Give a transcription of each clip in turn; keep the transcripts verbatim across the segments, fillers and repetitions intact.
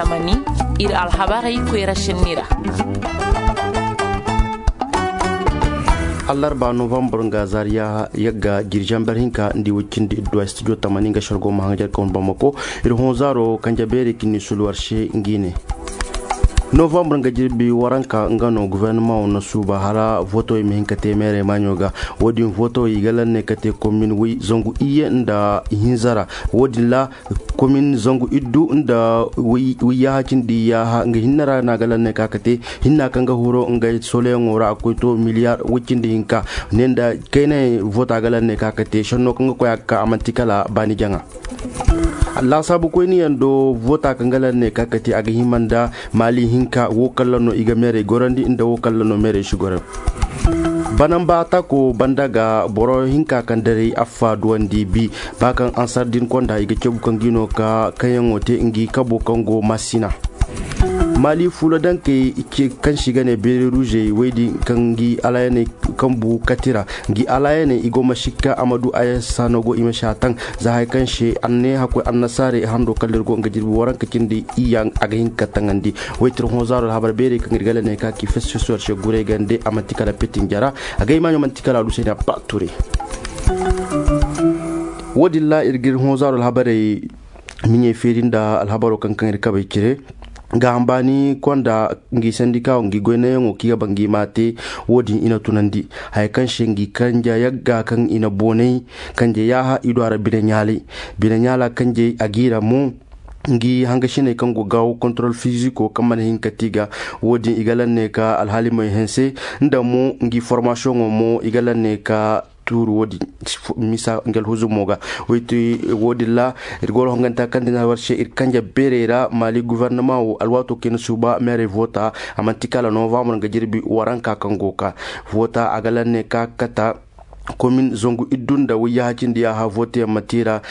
Tamani, ir alhabarey koyra senni ra. Allarba novambar nga zaariya yagga jirjanber hinka nda i woy cindi idduwa studio tamani nga shargo ma hangar kawun bamako. Ir honzaaro kanje beeri kinni suluwar se ngi ne. Novambar nga jirbi waranka nga no guvernamaŋo na suuba hala voto i ma hin ka te meerey maaɲo ga. Wo-din voto i ga lanne ka te komin zangu iyye nda hinza ra. Wo-din ra komin zangu iddu nda wayyaha cindi yaaha nga hinne ra no a ga lanne ka ka te. Hinna kaŋ ga huro nga soleyaŋo ra a koy to miliyar woy cindi hinka. Ne nda kayna vota ga lanne ka ka te senno kaŋ ga koy a ga ka a man'ti kala baani jaŋa. Laasaabu koyniyaŋ do vota kaŋ ga lanne ka ka te a ga hima nda maali hinka wo kalla no i ga meerey gorandi nda wo kalla no meerey si gorandi. Banamba atako banda ga boro hinka kaŋ daray affa duwandi bi. Ba kaŋ ansar din konda i ga cabu kaŋ gi no ka kaŋyaŋo te ngi kabo kaŋ go masina. Maali fuula dankey kaŋ se i ga ne beeri ruuzey woy din kaŋ ngi alaayaney kaŋ bu katira ngi alaayaney i go ma sikka a ma du ayasanogo i ma si a taŋ. Za hari kaŋ se anne hakkoy annasaarey hando kala ir go nga jirbi waranka cindi iyya a ga hin ka taŋandi. Woy tir honzaaro alhabar beerey kaŋ ir ga lanne ka ki fesfesuwar se guray gande a man'ti kala petin jara. A ga imaaɲo man'ti kala alusayni abba ture. Wo-din ra ir ga ir honzaaro alhabarey miɲey feeri nda alhabaro kaŋ kaŋ ir kabey cire. Ga hambaani konda ngi sandika wo ngi goynayaŋo kaŋ i ga ba ngi ma te. Wo-din i na tunandi haya kaŋ se ngi kanja yagga kaŋ i na boonay kanje yaaha i du a ra bine ɲaalay. Bine ɲaala kanjey a g'i ra mo ngi hangasiney kaŋ go gaawo kontorol fiziko kaŋ mana hin ka ti ga. Wo-din i ga lanne ka alhaalimey hanse nda mo ngi formasiyoŋo mo i ga lanne ka tuuru wo-din misa ngal huzumo ga. Woy ti wo-din ra ir go ra honganta kaŋ din war se ir kanje beerey ra maali guvernama wo alwaato kaŋ i na suuba meerey voota a man'ti kala novambar nga jirbi waranka kaŋ go ka voota a ga lanne ka kata. Komin zangu iddu nda wayyaha cindi yaaha voteyaŋ ma ti ra.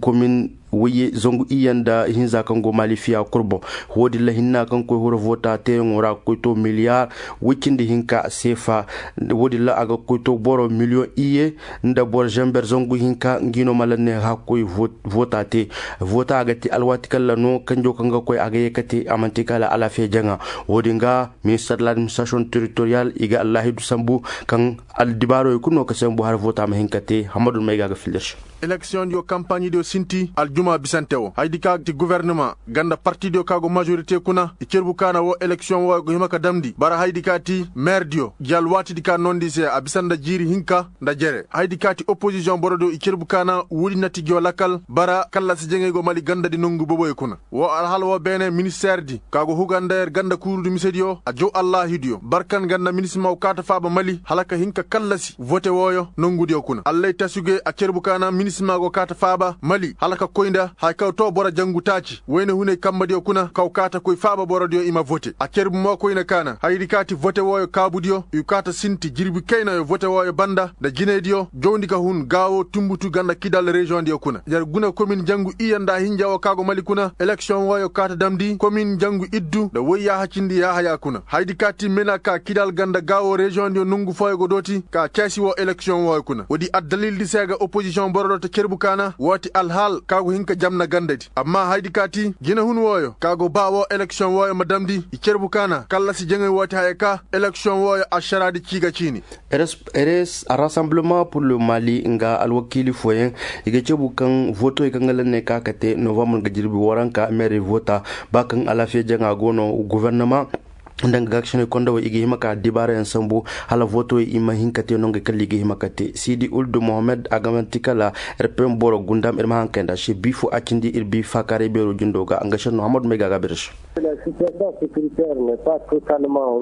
Komin wayye zangu iyye nda hinza kaŋ go maali fiya kurbo. Wo-din ra hinna kaŋ koy hura voota teeyaŋo ra ga koy to miliyar woy cindi hinka seefa. Wo-din ra a ga koy to boro miliyoŋ iyye nda boro zamber zangu hinka ngi no ma lanne hakkoy voota te. Voota a ga te alwaati kalla no kanjo kaŋ ga koy a ga ye ka te a man'ti kala alaafiya jaŋa. Wo-din ga minister de l'administration territorial i ga allaahidu sambu kaŋ aldibaarowey kulu no ka sambu hala voota ma hin ka te hammadu may ga a ga fildir se. Eleksiyoŋdiyo kampaɲidiyo sinti aljuma bisante wo hayadi ka ti guvernama ganda partidiyo ka go majorite kuna i cerbu kaana wo eleksiyoŋ wo go hima ka damndi bara hayadi ka ti meerdiyo gi alwaatidi ka noondi se a bisa nda jiiri hinka nda jere hayadi ka ti opozisiyoŋ borodiyo i cerbu kaana woodi na ti gi wo lakal bara kallasi jaŋay go mali gandadi nongu boboyo kuna. Wo alhala wo beene ministeerdi ka go huga nda yer ganda kuurudi misediyo a jaw allaahidiyo barkan ganda minisima go kaata faaba mali hala ka hin ka kallasi vote wooyo nongudiyo kuna allay tasuge a cerbu kaana minisima go kaata faaba mali hala ka koy nda haya kaŋ too boro jangu taaci wayne hunay kambadiyo kuna ka go kaata koy faaba borodiyo i ma vote a cerbu mo koyne kaana hayadi kaati vote wooyo kaabudiyo i go kaata sinti jirbi kaynayo vote wooyo banda nda jinaydiyo jawndi ka hun gaawo tunbutu ganda kidal reziyoŋdiyo kuna yer guna komin jangu iyya nda hinja wo ka go mali kuna eleksiyoŋ wooyo kaata damndi komin jangu iddu nda woy yaaha cindi yaahaya kuna hayadi kaati mena ka kidal ganda gaawo reziyoŋdiyo nongu fooyo go dooti ka ceesi wo eleksiyoŋ wooyo kuna woodi addalildi se ga opozisiyoŋ borodiyo ta cerbu kaana wooti alhaal ka go hin ka jamna gandadi amma hayadi kaati jinahun wooyo ka go ba wo eleksiyoŋ wooyo ma damndi i cerbu kaana kallasi jaŋay wooti haya ka eleksiyoŋ wooyo ašaraadi cii ga ciini. Rs rasamblement pur le mali nga alwakiili fooyaŋ i ga cabu kaŋ votoy kaŋ ga lanne ka ka te novambar nga jirbi waranka meerey vota ba kaŋ alaafiya jaŋa go no guvernama nda nga gaakasiney kondowey i ga hima ka dibaarayaŋ sambu hala votoy i ma hin ka te nongey kala i ga hima ka te siidi uldu mohammed a ga man'ti kala rpn boro gundam ir ma haŋ kay nda se bi fo a cindi ir bi faakaaray beero jindo ga nga senno hammadu may ga a ga bir se.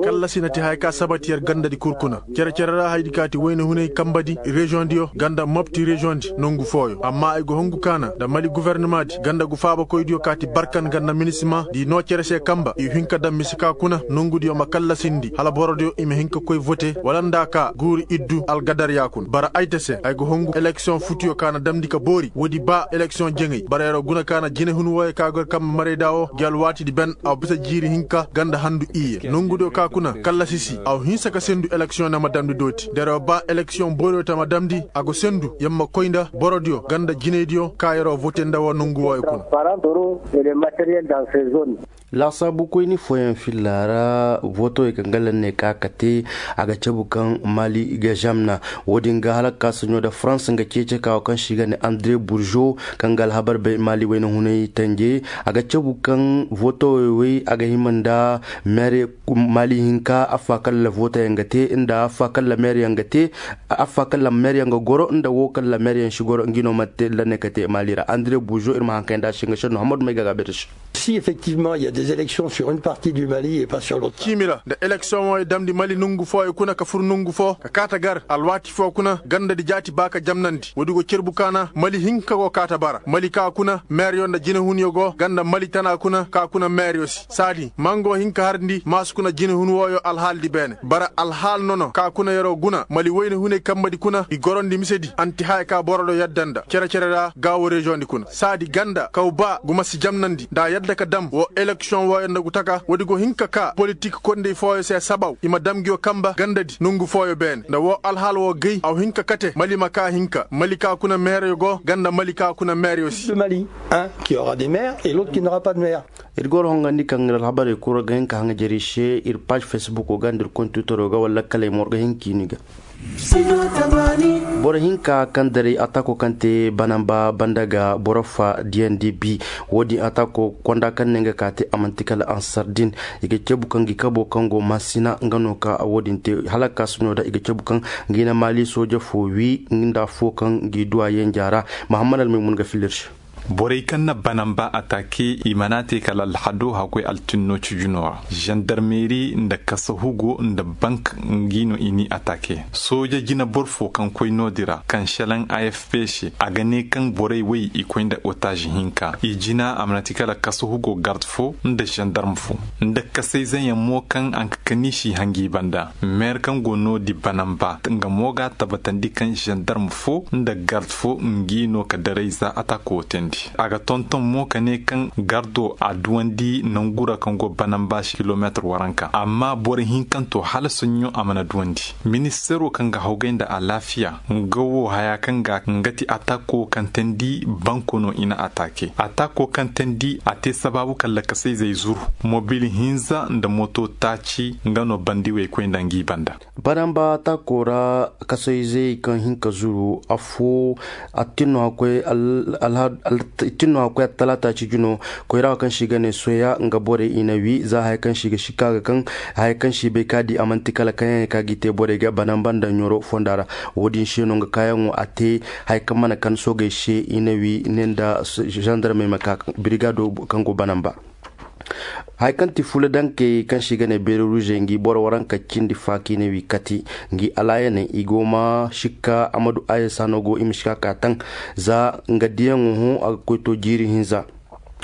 Kallasi na ti haya ka sabati yer gandadi kul kuna cere-cere ra hayadi kaati wayne hunay kambadi reziyoŋdiyo ganda mopti reziyoŋdi nongu fooyo amma ay go hongu kaana nda mali guvernamaadi ganda gu faabakoydiyo kaati barkan ganda minisima di noo cere se kamba i hin ka daŋ mise ka kuna nongudiyo ma kallasindi hala borodiyo i ma hin ka koy vote wala nda ka guuri iddu algadarya kuna bara ay te se ay go hongu eleksiyoŋ futiyo kaana damndi ka boori woodi ba eleksiyoŋ jaŋay bara yeroo guna kaana jinehun wooyo ka go yer kamba marayda wo gi alwaatidi ben a wa bisa jiiri hinka ganda handu iyye nongudiyo ka kuna kallasi si a wa hinsa ka sendu eleksiyoŋ na ma damndi dooti da yeroo ba eleksiyoŋ booriyo ta ma damndi a go sendu yer ma koy nda borodiyo ganda jinaydiyo ka yeroo vote nda wo nongu wooyo kuna. Laasaabu koyni fooyaŋ filla ra vootowey kaŋ ga lanne ka ka te, a ga cabu kaŋ mali ga zamna. Wo-din ga hala ka ka saɲo nda farans nga ceece ka wo kaŋ se i ga ne andre burzo, kaŋ ga alhabar bay mali wayna hunay tanje. A ga cabu kaŋ vootowey wey a ga hima nda meere mali hinka affa kaŋ la vootoyaŋ ga te nda affa kaŋ la meereyaŋ ga te, affa kaŋ la meereyaŋ ga goro nda wo kaŋ la meereyaŋ si goro nga no ma te lanne ka te mali ra andre burzo ir ma haŋ kay nda a se nga senno hammadu may ga ga bay da se. Si effectivement il y a des élections sur une partie du mali et pas sur l'autre. Ciimi ra nda eleksiyoŋ wo i damndi mali nongu fooyo kuna ka fur nongu foo ka kaata gar alwaati foo kuna ganda di jaati ba ka jamnandi woodi go cerbu kaana mali hinka go kaata bara mali ka kuna meeryo nda jinehunyo go ganda mali tana kuna ka kuna meeryo se saadi mango hinka harndi maasu kuna jinehun wooyo alhaali di beene bara alhaali nono ka kuna yer'o guna mali wayne hunay kambe di kuna i gorondi mise di anti haya ka boro do yadda nda cere-cere ra gaawo reziyoŋ di kuna saadi ganda kaw ba guma si jamnandi nda a yadda ka dam woo eleksiyoŋ wooyo nda gu taka woodi go hin ka kaa politik kondey fooyo se sabaw i ma dam nguyo kamba ganda di nongu fooyo beene nda woo alhaal woo gay aw hin ka kate mali ma kaa hinka mali kaa kuna meereyo go ganda mali kaa kuna meereyo se. Mali, un qui aura des maires et l'autre qui n'aura pas de maire. Ir goro hongandi kaŋ ir alhabarey kul ra ga hin ka haŋajerey se ir paaz fesbukoo ga nda ir kontitoro ga wala lakkaley ma war ga hin ka i ni ga. Boro hinka kaŋ daray atako kaŋ te banamba banda ga boro fa diyandi bi. Wo-din atako konda kaŋ ne nga ka te a manti kala ansardin. I ga cabu kaŋ gi kabo kaŋ go masina nga no ka wo-din te hala ka suno da i ga cabu kaŋ gi na mali sooja fo wi nda fo kaŋ gi duwa yenja ra. Mahammad almaymun ga filir se. Borey kaŋ na banamba atake i mana te kala alhado hakkoy altinno cujunoo ra zandarmeri nda kasahugo nda bank ngi no i ni atake sooja jinaboro fo kaŋ koy no-din ra kaŋ selaŋ afp se a ga ne kaŋ borey wey i koy nda otaaz hinka i jina a mana ti kala kasahugo gard fo nda zandarm fo nda kasayzeyaŋ mo kaŋ a ga kani si hangi banda meer kaŋ go no-din banamba nga mo ga a tabatandi kaŋ zandarm fo nda gard fo ngi no ka daray za atako teendi a ga tonton mo ka ne kaŋ gardo a duwandi nangu ra kaŋ go banamba se kilomeetir waranka amma boro hinkanto hala soɲɲo a mana duwandi. Ministeero kaŋ ga hawgay nda alaafiya nga wo haya kaŋ ga nga ti atako kaŋ teendi banko no i na atake atako kaŋ teendi a te sabaabu kala kasayzey zuru mobil hinza nda moto taaci nga no bandi wey koy nda ngi banda. Banamba taako ra kasoyzey kaŋ hin ka zuru affoo attin no hakkoy attalaata ciji no koyra wo kaŋ se i ga ne soya nga borey i na wi za haya kaŋ se i ga sikka ga kaŋ haya kaŋ se i bay ka di a man'ti kala kaŋ yaŋ ka gi te borey ga banamba nda ɲoro fonda ra. Wo-din se no nga kaayaŋo a te haya kaŋ mana kan soogey se i na wi ne nda zandarmey ma ka birigado kaŋ go banamba. Haya kaŋ ti fula dankey kaŋ se i ga ne beere ruuzey ngi boro waranka cindi faaki ne wi kati ngi alaayaney i go ma sikka amadu ayesa no go i ma sikka ka taŋ. Za nga diyaŋo hõ a ga koy to jiiri hinza.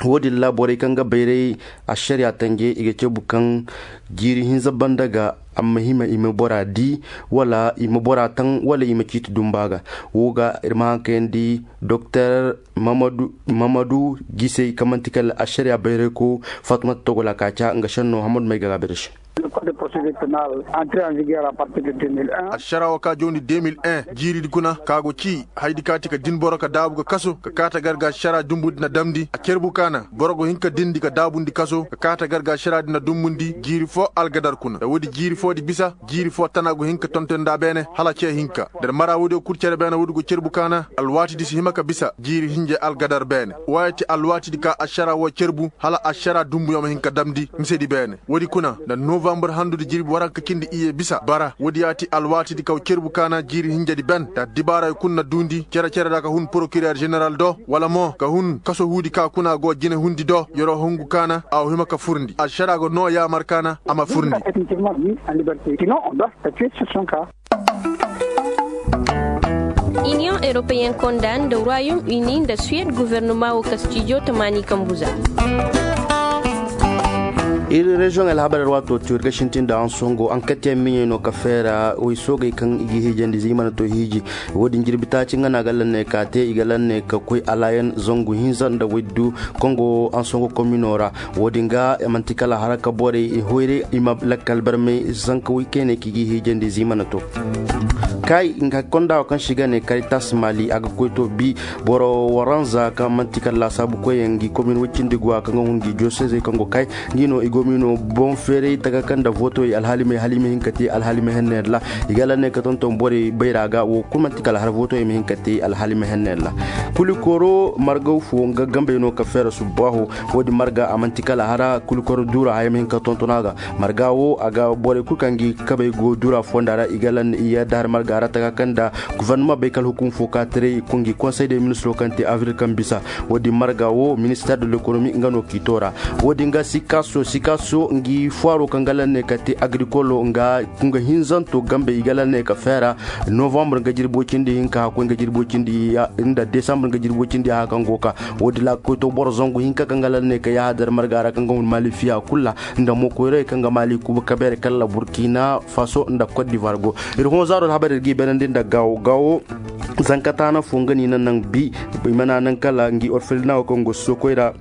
Wo-din ra borey kaŋ ga bayray ašariya tanje i ga cabu kaŋ jiiri hinza banda ga amma hima i ma bora di wala i ma bora taŋ wala i ma ciiti dumba ga. Wo ga ir ma haŋ kayandi doktor mamadu gisey kaŋ man'ti kala ašariya bayrayko fatumata togola ka ca nga šenno hamadu may ga ga bere se. Ašara wo ka jawndi deux mille un jiiridi kuna ka go ci haydi ka ti ka din boro ka daabu ga kaso ka kaata gar ga ašara dumbundi na damndi a cerbu kaana boro go hin ka dindi ka daabundi kaso ka kaata gar ga ašara di na dumbundi jiiri foo algadar kuna nda woodi jiiri foodi bisa jiiri foo tana go hin ka tonton nda beene hala cee hinka nda mara woodiyo kul cere beene woodi go cerbu kaana alwaatidi si hima ka bisa jiiri hinja algadar beene. Wooyo ti alwaatidi ka ašara woo cerbu hala ašara dumbuyo ma hin ka damndi misedi beene. Woodi kuna nda novambar handudi jirbi waranka cindi iyye bisa bara woodi ya ti alwaatidi kaw cerbu kaana jiiri hinjadi ben nda addibaaray kul na duundi cere-cere ra ka hun porokirer ženeral do wala mo ka hun kaso huudi ka kuna go jinehundi do yer'o hungu kaana a wa hima ka furndi ašara go noo yaamar kaana a ma furndi. Iniyoŋ europeyen konda nda royaume uni nda suwed guvernoma wo kastijo tamaani kambu za. Ir reziyoŋ alhabar ir waato tiyo ir ga sintin nda ansongo ankatiyaŋ miɲey no ka feera woy soogey kaŋ i ga hiijandi za i mana to hiiji. Woodin jirbi taaci nga no a ga lanne ka te i ga lanne ka koy alaayan zangu hinza nda woy du kaŋ go ansongo komino ra. Woodin ga man'ti kala haraka borey i hoyray i ma lakkal barmay zanka woy kayne kaŋ i ga hiijandi za i mana to. Kay nga konda wo kaŋ si ga ne karitas mali a ga koy to bi boro waranza kaŋ manti kala laasaabu koyyaŋ ngi komin wacindi go a kaŋ ga hun ngi josezey kaŋ go kay ngi no i go mino boŋ feeray taka kaŋ nda votoyey alhaalimey hala i ma hin ka te alhaalima henneyaŋ ra. I ga laŋ ne ka tonton borey bayra ga wo kulu manti kala har votoyey ma hin ka te alhaalima henneyaŋ ra. Kulikoro margaw fo nga gambey no ka feera subbaaho. Wo-din marga a manti kala hara kulikoro duura haya ma hin ka tonton a ga. Marga wo a ga borey kulu kaŋ gi kabey go dura fonda ra i ga lan i yadda har marga ra taka kaŋ da guvernama bay kala hukum fo ka tiray kungi konsey de ministro kaŋ te avril kaŋ bisa. Wo-din marga wo minister de lekonomi nga no k'i toora. Wo-din ga sikaso sikaso ngi foiro kaŋ ga lan ne ka te agrikolo nga kunga hinzanto gambe i ga lan ne ka feera novembre nga jirbo cindi hinka hakkoy nga jirbo cindi nda desambur nga jirbo cindi ha kaŋ go ka. Wo-din la koy to boro zangu hinka kaŋ ga lan ne ka yahadar marga ra kaŋ ga hun mali fiya kulla nda mo koyray kaŋ ga mali kuba kabere kala burkina faso nda cote d'ivoire go. Ir hõ zaaro alhabar ir ga i benandi nda gawo gawo. Zankataana fo nga ni na naŋ bi i mana naŋ kala ngi orfelina wo kaŋ go sokoy ra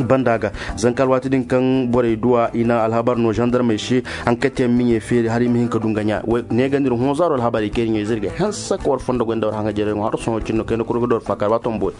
banda ga. Zanka alwaati din kaŋ borey duwa i na alhabar no zandarmey se. Ankatiyaŋ miɲey feeri har i ma hin ka du nga ɲa. Neegandi ir hõ zaaro alhabar i kay ir ɲey zirga hanse ka war fondo goy nda war haŋa jere ŋo har sohõ cinno kayna kuru ga da war faakar ba tomboy.